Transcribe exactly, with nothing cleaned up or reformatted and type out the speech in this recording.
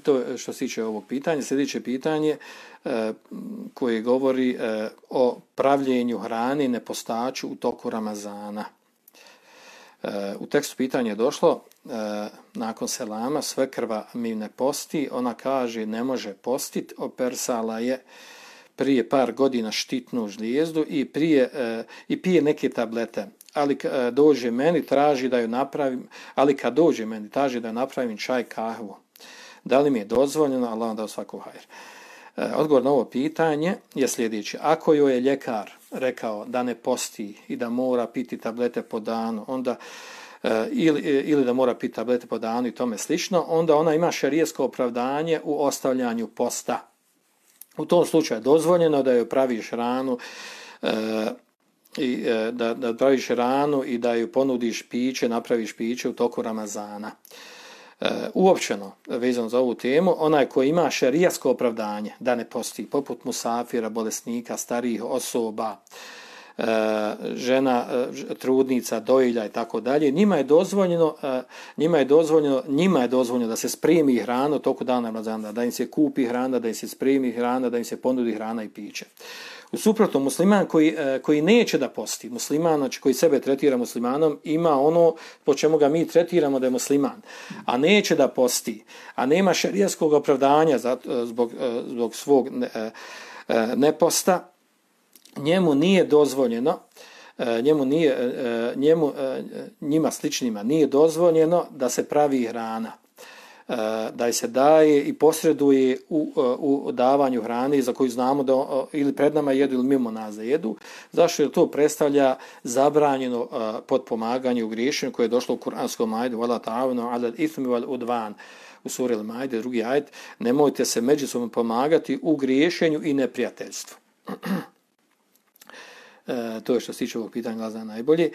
To što se tiče ovog pitanja. Sljedeće pitanje e, koje govori e, o pravljenju hrane nepostaču u toku Ramazana. E, u tekstu pitanja je došlo e, nakon selama svekrva mi ne posti, ona kaže ne može postit, opersala je prije par godina štitnu žlijezdu i, prije, e, i pije neke tablete. Ali e, dođe meni, traži da ju napravim, ali kad dođe meni, traži da ju napravim čaj, kahvu. Da li mi je dozvoljeno? Allah vam dao svaku hajr. E, odgovor na ovo pitanje je sljedeći. Ako joj je ljekar rekao da ne posti i da mora piti tablete po danu, onda e, ili, ili da mora piti tablete po danu i tome slično, onda ona ima šerijsko opravdanje u ostavljanju posta. U tom slučaju je dozvoljeno da joj praviš ranu, e, i, e, da, da praviš ranu i da joj ponudiš piće, napraviš piće u toku Ramazana. Uh, uopćeno, vezano za ovu temu, onaj koji ima šerijasko opravdanje da ne posti, poput musafira, bolesnika, starijih osoba, uh, žena, uh, trudnica, dojilja i tako dalje, njima je dozvoljeno, uh, njima je dozvoljeno, njima je dozvoljeno da se spremi hrana u toku dana Ramazana, da im se kupi hrana, da im se spremi hrana, da im se ponudi hrana i piće. U suprotnom, musliman koji, koji neće da posti, musliman, znači koji sebe tretira muslimanom, ima ono po čemu ga mi tretiramo da je musliman, a neće da posti, a nema šerijskog opravdanja za, zbog, zbog svog neposta, njemu nije dozvoljeno, njemu nije, njemu, njima sličnima nije dozvoljeno da se pravi hrana, da se daje i posreduje u, u davanju hrane za koju znamo da ili pred nama jedu ili mimo nas da jedu. Zašto? Jer to predstavlja zabranjeno potpomaganje u griješenju koje je došlo u kuranskom ajetu wala ta'awanu 'alal ithmi wal udwan u suri Al-Maide, drugi ajet, nemojte se međusobno pomagati u griješenju i neprijateljstvu. E, to je što se tiče ovog pitanja glasa najbolje.